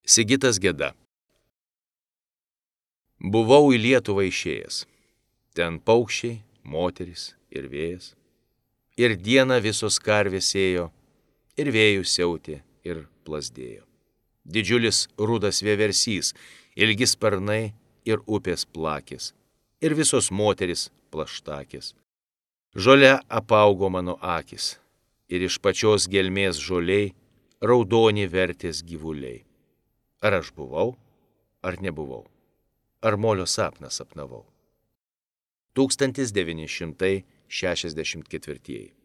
Sigitas Geda. Buvau į Lietuvą išėjęs. Ten paukščiai, moteris ir vėjas. Ir dieną visos karvės ėjo, ir vėjų siautė, ir plazdėjo. Didžiulis rudas vieversys, ilgi sparnai ir upės plakės. Ir visos moteris plaštakės. Žole apaugo mano akis, ir iš pačios gelmės žoliai raudoni vertės gyvuliai. Ar aš buvau, ar nebuvau? Ar molio sapną sapnavau? 1964